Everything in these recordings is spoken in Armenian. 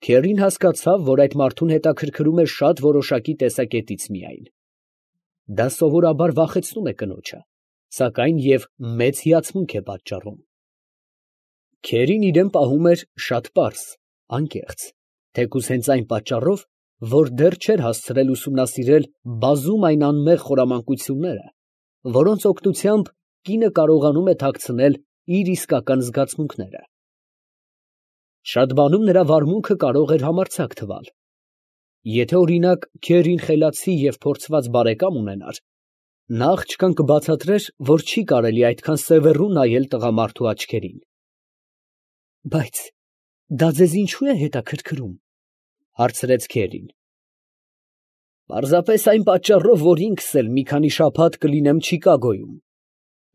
Քերին հասկացավ, որ այդ մարդուն հետաքրքրում է շատ որոշակի տեսակետից միայն. դա սովորաբար վախեցնում է կնոջը, սակայն և մեծ հիացմունք է պատճառում։ Քերին իրան պահում էր շատ պարզ, անկեղծ, թեկուզ հենց այն պատճառով, որ դեռ չէր հասցրել ուսումնասիրել բազում այն անմեղ խորամանկությունները, որոնց օգնությամբ կինը կարողանում է թաքցնել իր իսկական զգացմունքները։ Շատ բանում նրա վարմունքը կարող էր համարձակ թվալ։ Եթե օրինակ Քերին խելացի և փորձված բարեկամ ունենար, նա աղջկան կբացատրեր, որ չի կարելի այդքան սևեռու նայել տղամարդու աչքերին։ Բայց դա ձեզ ինչո՞ւ է հետաքրքրում, հարցրեց Քերին։ Պարզապես այն պատճառով, որ ինքս էլ մի քանի շաբաթ կլինեմ Չիկագոյում.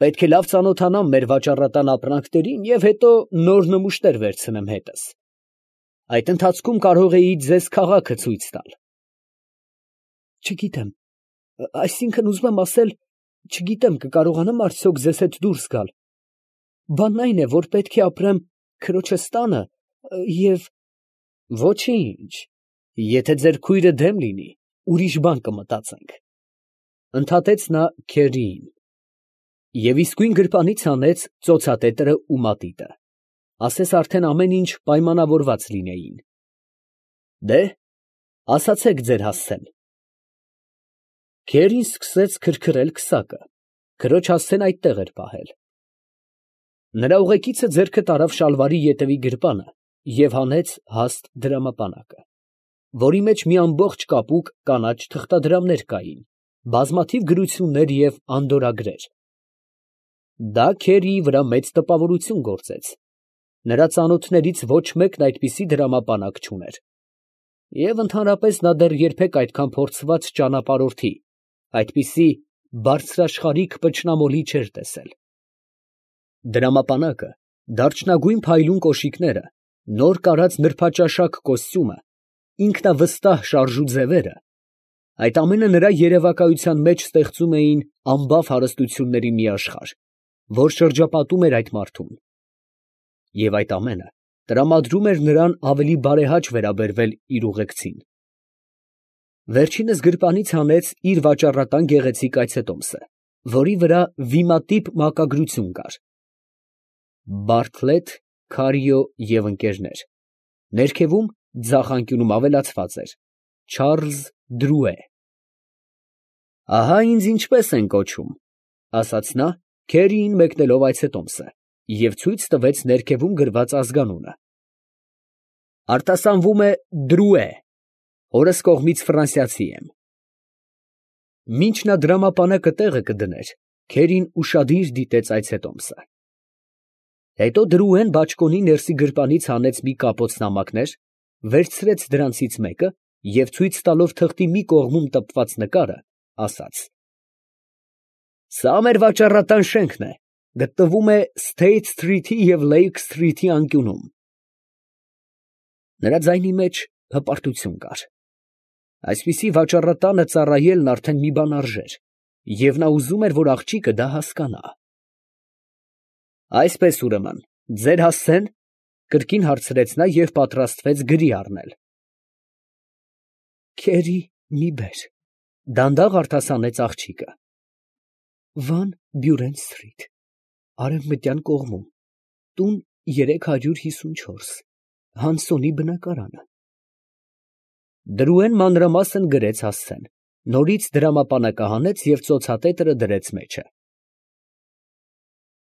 պետք է լավ ծանոթանամ մեր վաճառատան ապրանքներին և հետո նոր նմուշներ վերցնեմ հետս։ Այդ ընթացքում կարող էի ձեզ քաղաքը ցույց տալ։ Չգիտեմ, այսինքն ուզում եմ ասել, չգիտեմ կկարողանամ արդյոք ձեզ հետ դուրս գալ։ Բանն այն է, որ պետք է ապրեմ քրոջս տանը և… Ոչինչ, եթե ձեր քույրը դեմ լինի, ուրիշ բան կմտածենք, ընդհատեց նա Քերիին, և իսկույն գրպանից հանեց ծոցատետրը ու մատիտը, ասես արդեն ամեն ինչ պայմանավորված լինեին։ Դե, ասացեք ձեր հասցեն։ Քերին սկսեց քրքրել քսակը, քրոջ հասցեն այդտեղ էր պահել։ Նրա ուղեկիցը ձեռքը տարավ շալվարի ետևի գրպանը և հանեց հաստ դրամապանակը, որի մեջ մի ամբողջ կապուկ կանաչ թղթադրամներ կային, բազմաթիվ գրություններ և անդորրագրեր։ Դա Քերիի վրա մեծ տպավորություն գործեց. նրա ծանոթներից ոչ մեկն այդպիսի դրամապանակ չուներ, և ընդհանրապես նա դեռ երբեք այդքան փորձված ճանապարհորդի, այդպիսի բարձրաշխարհիկ պճնամոլի չէր տեսել։ Դրամապանակը, դարչնագույն փայլուն կոշիկները, նոր կարած նրբաճաշակ կոստյումը, ինքնավստահ շարժու ձևերը, այդ ամենը նրա երևակայության մեջ ստեղծում էին անբավ հարստությունների մի աշխարհ, որ շրջապատում էր այդ մարդուն, և այդ ամենը տրամադրում էր նրան ավելի բարեհաճ վերաբերվել իր ուղեկցին։ Վերջինս գրպանից հանեց իր վաճառատան գեղեցիկ այցետոմսը, որի վրա վիմատիպ մակագրություն կար. Բարթլետ, Քարիո և ընկերներ, ներքևում ձախ անկյունում ավելացված էր. Չարլզ Դրուե։ Ահա ինձ ինչպես են կոչում, ասաց նա, Քերիին մեկնելով այցետոմսը, և ցույց տվեց ներքևում գրված ազգանունը. արտասանվում է Դրուե, հորս կողմից ֆրանսիացի եմ։ Մինչ նա դրամապանակը տեղը կդներ, Քերին ուշադիր դիտեց այցետոմսը։ Հետո Դրուեն բաճկոնի ներսի գրպանից հանեց մի կապոց նամակներ, վերցրեց դրանցից մեկը և ցույց տալով թղթի մի կողմում տպված նկարը, ասաց. Սա մեր վաճառատան շենքն է, գտնվում է Սթեյթ սթրիթի և Լեյք սթրիթի անկյունում։ Նրա ձայնի մեջ հպարտություն կար։ Այսպիսի վաճառատանը ծառայելն արդեն մի բան արժեր, և նա ուզում էր, որ աղջիկը դա հասկանա։ Այսպես ուրեմն, ձեր հասցե՞ն, կրկին հարցրեց նա և պատրաստվեց գրի առնել։ Քերի, մի բեր, դանդաղ արտասանեց աղջիկը։ Վան Բյուրեն սթրիթ, արևմտյան կողմում, տուն 354, Հանսոնի բնակարանը։ Դրուեն մանրամասն գրեց հասցեն, նորից դրամապանակը հանեց և ծոցատետրը դրեց մեջը։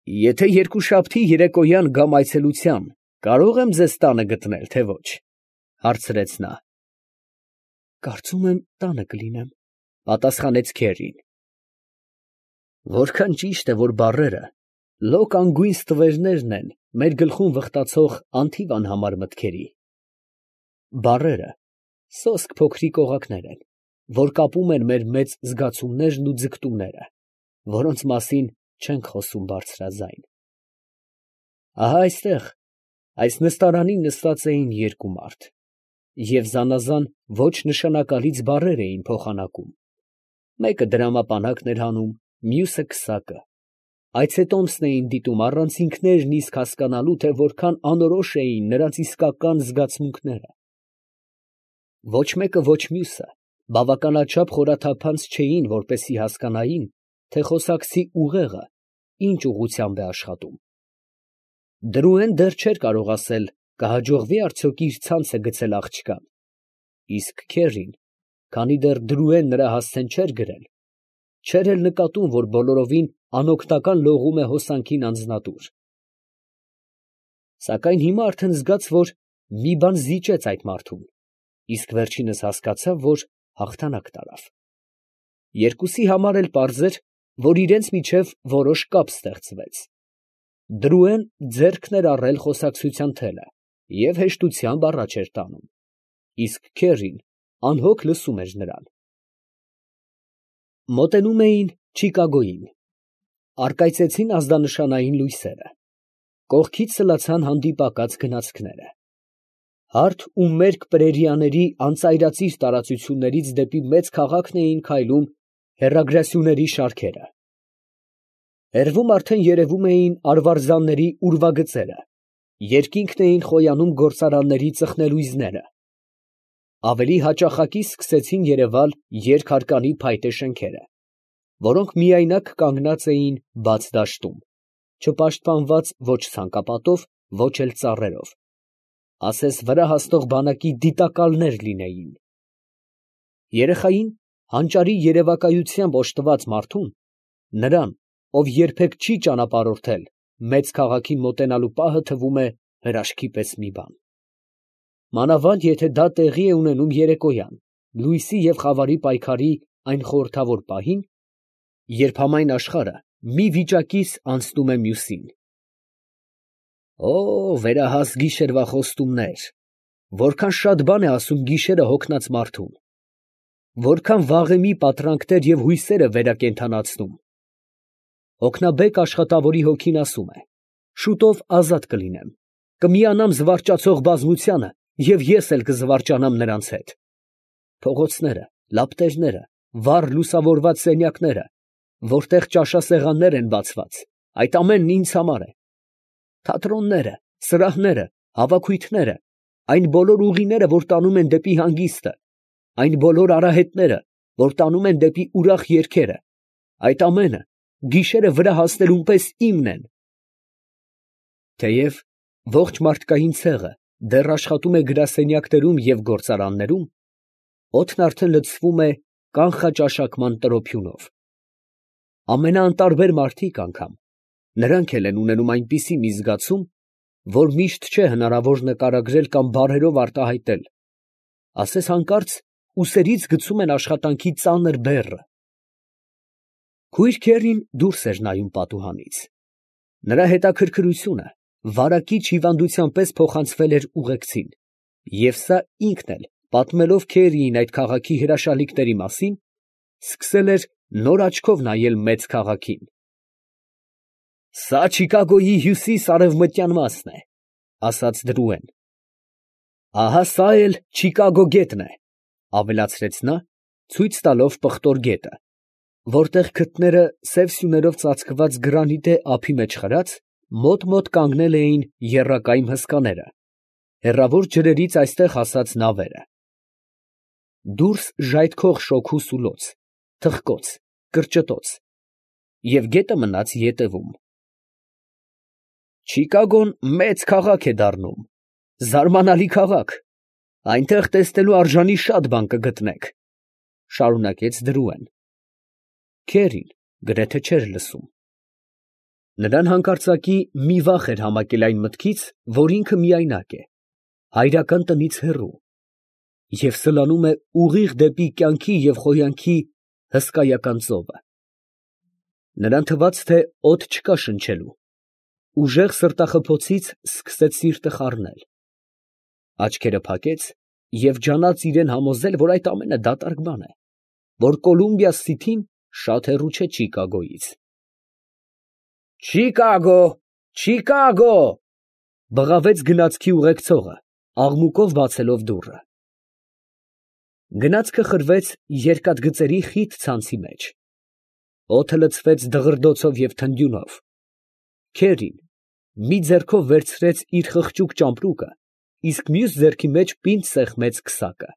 Եթե երկուշաբթի երեկոյան գամ այցելության, կարո՞ղ եմ ձեզ տանը գտնել, թե ոչ, հարցրեց նա։ Կարծում եմ տանը կլինեմ, պատասխանեց Քերին։ Որքան ճիշտ է, որ բառերը լոկ անգույն ստվերներն են մեր գլխում վխտացող անթիվ անհամար մտքերի։ Բառերը սոսկ փոքրիկ օղակներ են, որ կապում են մեր մեծ զգացումներն ու ձգտումները, որոնց մասին չենք խոսում բարձրաձայն։ Ահա այստեղ, այս նստարանին նստած էին երկու մարդ, և զանազան ոչ նշանակալից բառեր էին փոխանակում. մեկը դրամապանակն էր հանում, մյուսը քսակը, այցետոմսն էին դիտում առանց ինքներն իսկ հասկանալու, թե որքան անորոշ էին նրանց իսկական զգացմունքները, Ոչ մեկը ոչ մյուսը բավականաչափ խորաթափանց չէին, որպեսզի հասկանային, թե խոսակցի ուղեղը ինչ ուղղությամբ է աշխատում։ Դրուեն դեռ չէր կարող ասել, կհաջողվի արդյոք իր ցանցը գցել աղջկան, իսկ Քերին, քանի դեռ Դրուեն նրա հասցեն չէր գրել, չէր էլ նկատում, որ բոլորովին անօգնական լողում է հոսանքին անձնատուր։ Սակայն հիմա արդեն զգաց, որ մի բան զիջեց այդ մարդուն, իսկ վերջինս հասկացավ, որ հաղթանակ տարավ։ Երկուսի համար էլ պարզ էր, որ իրենց միջև որոշ կապ ստեղծվեց։ Դրուեն ձեռքն էր առել խոսակցության թելը և հեշտությամբ առաջ էր տանում, իսկ Քերին անհոգ լսում էր նրան։ Մոտենում էին Չիկագոյին, առկայծեցին ազդանշանային լույսերը, կողքից սլացան հանդիպակաց գնացքները։ Հարթ ու մերկ պրերիաների անծայրածիր տարածություններից դեպի մեծ քաղաքն էին քայլում հեռագրասյուների շարքերը։ Հեռվում արդեն երևում էին արվարձանների ուրվագծերը, երկինքն էին խոյանում գործարանների ծխնելույզները։ Ավելի հաճախակի սկսեցին երևալ երկհարկանի փայտե շենքերը, որոնք միայնակ կանգնած էին բաց դաշտում, չպաշտպանված ոչ ցանկապատով, ոչ էլ ծառերով, ասես վրա հասնող բանակի դիտակալներ լինեին։ Երեխային հանճարի երևակայությամբ օժտված մարդուն, նրան, ով երբեք չի ճանապարհորդել, մեծ քաղաքին մոտենալու պահը թվում է հրաշքի պես մի բան։ Մանավանդ եթե դա տեղի է ունենում երեկոյան, լույսի և խավարի պայքարի այն խորհրդավոր պահին, երբ համայն աշխարհը մի վիճակից անցնում է մյուսին։ Օ, վերահաս գիշերվա խոստումներ, որքան շատ բան է ասում գիշերը հոգնած մարդուն, որքան վաղեմի պատրանքներ և հույսեր է վերակենդանացնում։ Հոգնաբեկ աշխատավորի հոգին ասում է. շուտով ազատ կլինեմ, կմիանամ զվարճացող բազմությանը և ես էլ կզվարճանամ նրանց հետ։ Փողոցները, լապտերները, վառ լուսավորված սենյակները, որտեղ ճաշասեղաններ են բացված, այդ ամենն ինձ համար է։ Թատրոնները, սրահները, հավաքույթները, այն բոլոր ուղիները, որ տանում են դեպի հանգիստը, այն բոլոր արահետները, որ տանում են դեպի ուրախ երգերը, այդ ամենը գիշերը վրա հասնելուն պես իմն են։ Թեև ողջ մարդկային ցեղը դեռ աշխատում է գրասենյակներում և գործարաններում, օդն արդեն լցվում է կանխաճաշակման տրոփյունով։ Ամենաանտարբեր մարդիկ անգամ, նրանք էլ են ունենում այնպիսի մի զգացում, որ միշտ չէ հնարավոր նկարագրել կամ բառերով արտահայտել, ասես հանկարծ ուսերից գցում են աշխատանքի ծանր բեռը։ Քույր Քերին դուրս էր նայում պատուհանից։ Նրա հետաքրքրությունը վարակիչ հիվանդության պես փոխանցվել էր ուղեկցին, և սա ինքն էլ, պատմելով Քերիին այդ քաղաքի հրաշալիքների մասին, սկսել էր նոր աչքով նայել մեծ քաղաքին։ «Սա Չիկագոյի հյուսիս֊արևմտյան մասն է, ֊ ասաց Դրուեն։ ֊ Ահա սա էլ Չիկագո գետն է, ֊ ավելացրեց նա, ցույց տալով պղտոր գետը, որտեղ քթները սև սյուներով ծածկված գրանիտե ափի մեջ խրած, մոտ֊մոտ կանգնել էին եռակայմ հսկաները, հեռավոր ջրերից այստեղ հասած նավերը։ Դուրս ժայթքող շոգու սուլոց, թխկոց, կրճտոց, և գետը մնաց ետևում։ Չիկագոն մեծ քաղաք է դառնում, զարմանալի քաղաք, այնտեղ տեսնելու արժանի շատ բան կգտնեք, ֊ շարունակեց Դրուեն։ Քերին գրեթե չէր լսում։ Նրան հանկարծակի մի վախ էր համակել այն մտքից, որ ինքը միայնակ է, հայրական տնից հեռու, և սլանում է ուղիղ դեպի կյանքի և խոյանքի հսկայական ծովը։ Նրան թվաց, թե օդ չկա շնչելու, ուժեղ սրտախփոցից սկսեց սիրտը խառնել։ Աչքերը փակեց և ջանաց իրան համոզել, որ այդ ամենը դատարկ բան է, որ Կոլումբիա Սիթին շատ հեռու չէ Չիկագոյից։ «Չիկագո, Չիկագո, ֊ բղավեց գնացքի ուղեկցողը, աղմուկով բացելով դուռը։ Գնացքը խրվեց երկաթգծերի խիտ ցանցի մեջ։ Օդը լցվեց դղրդոցով և թնդյունով։ Քերին մի ձեռքով վերցրեց իր խղճուկ ճամպրուկը, իսկ մյուս ձեռքի մեջ պինդ սեղմեց քսակը։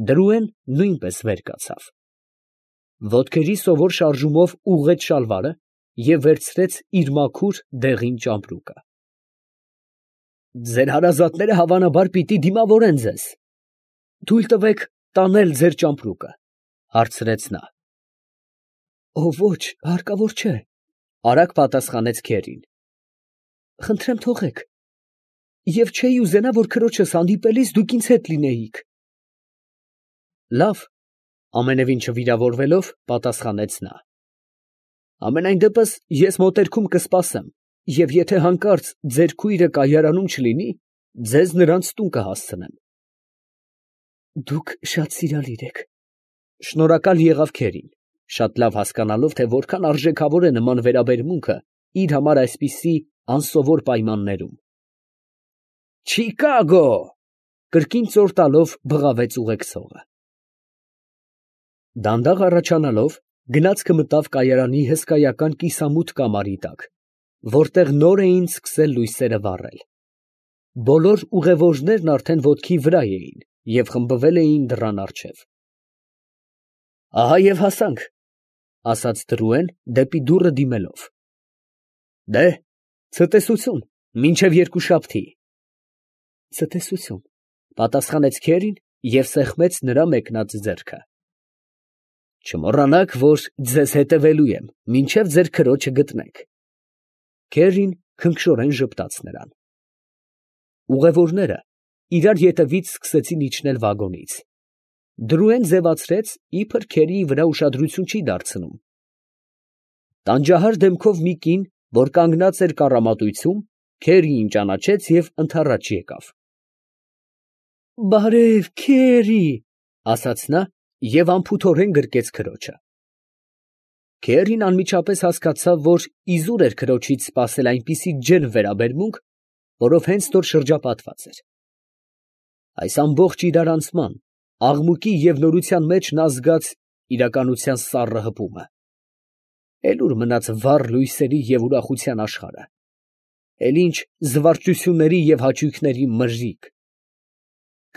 Դրուեն նույնպես վեր կացավ, ոտքերի սովոր շարժումով ուղղեց շալվարը և վերցրեց իր մաքուր դեղին ճամպրուկը։ Ձեր հարազատները հավանաբար պիտի դիմավորեն ձեզ. թույլ տվեք տանել ձեր ճամպրուկը, հարցրեց նա։ Ոչ, հարկավոր չէ, արագ պատասխանեց քերին։ Խնդրեմ թողեք, և չէի ուզենա, որ քրոջս հանդիպելիս դուք ինձ հետ լինեիք։ Լավ, ամենևին չվիրավորվելով, պատասխանեց նա։ Համենայն դեպս ես մոտերքում կսպասեմ, և եթե հանկարծ ձեր քույրը կայարանում չլինի, ձեզ նրանց տուն կհասցնեմ։ Դուք շատ սիրալիր եք։ Շնորհակալ եղավ քերին, շատ լավ հասկանալով, թե որքան արժեքավոր է նման վերաբերմունքը իր համար այսպիսի անսովոր պայմաններում։ Չիկագո, կրկին ծոր տալով բղավեց ուղեկցողը։ Դանդաղ առաջանալով, գնացքը մտավ կայարանի հսկայական կիսամութ կամարի տակ, որտեղ նոր էին սկսել լույսերը վառել։ Բոլոր ուղևորներն արդեն ոտքի վրա էին և խմբվել էին դռան առջև։ Ահա և հասանք, ասաց Դրուեն դեպի դուռը դիմելով։ Ցտեսություն, մինչև երկուշաբթի։ Ցտեսություն, պատասխանեց քերին և սեղմեց նրա մեկնած ձեռքը։ Չմոռանաք, որ ձեզ հետևելու եմ, մինչև ձեր քրոջը գտնեք։ Քերին քնքշորեն ժպտաց նրան։ Ուղևորները իրար ետևից սկսեցին իջնել վագոնից։ Դրուեն ձևացրեց, իբր քերիի վրա ուշադրություն չի դարձնում։ Տանջահար դեմքով մի կին, որ կանգնած էր կառամատույցում, քերիին ճանաչեց և ընդառաջ եկավ։ Բարև, քերի, ասաց նա և անփութորեն գրկեց քրոջը։ Քերին անմիջապես հասկացավ, որ իզուր էր քրոջից սպասել այնպիսի ջերմ վերաբերմունք, որով հենց նոր շրջապատված էր։ Այս ամբողջ իրարանցման, աղմուկի և նորության մեջ նա զգաց իրականության սառը հպումը։ Էլ ուր մնաց վառ լույսերի և ուրախության աշխարհը, էլ ինչ զվարճությունների և հաճույքների մրրիկ։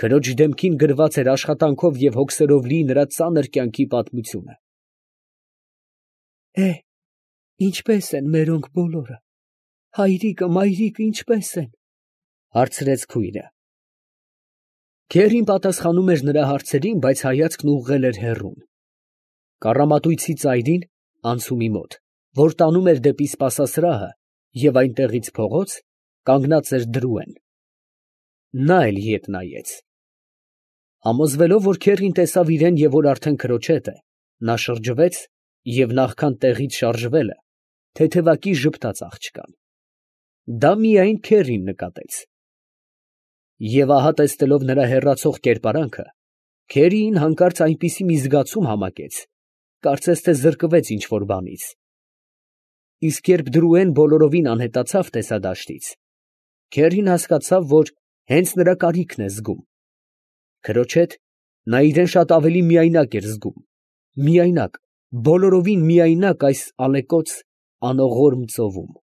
Քրոջ դեմքին գրված էր աշխատանքով և հոգսերով լի նրա ծանր կյանքի պատմությունը։ Ինչպե՞ս են մերոնք բոլորը, հայրիկը, մայրիկը ինչպե՞ս են, հարցրեց քույրը։ Քերին պատասխանում էր նրա հարցերին, բայց հայացքն ուղղել էր հեռուն։ Կառամատույցի ծայրին, անցումի մոտ, որ տանում էր դեպի սպասասրահը և այնտեղից փողոց, կանգնած էր Դրուեն։ Նա էլ ետ նայեց։ Համոզվելով, որ քերին տեսավ իրան և որ արդեն քրոջ հետ է, նա շրջվեց և նախքան տեղից շարժվելը, թեթևակի ժպտաց աղջկան։ Դա միայն քերին նկատեց։ Եվ ահա տեսնելով նրա հեռացող կերպարանքը, քերիին հանկարծ այնպիսի մի զգացում համակեց, կարծես թե զրկվեց ինչ֊որ բանից։ Իսկ երբ Դրուեն բոլորովին անհետացավ տեսադաշտից, քերին հասկացավ, որ հենց նրա կարիքն է զգում։ Քրոջ հետ նա իրան շատ ավելի միայնակ էր զգում, միայնակ, բոլորովին միայնակ այս ալեկոծ անողորմ ծովում։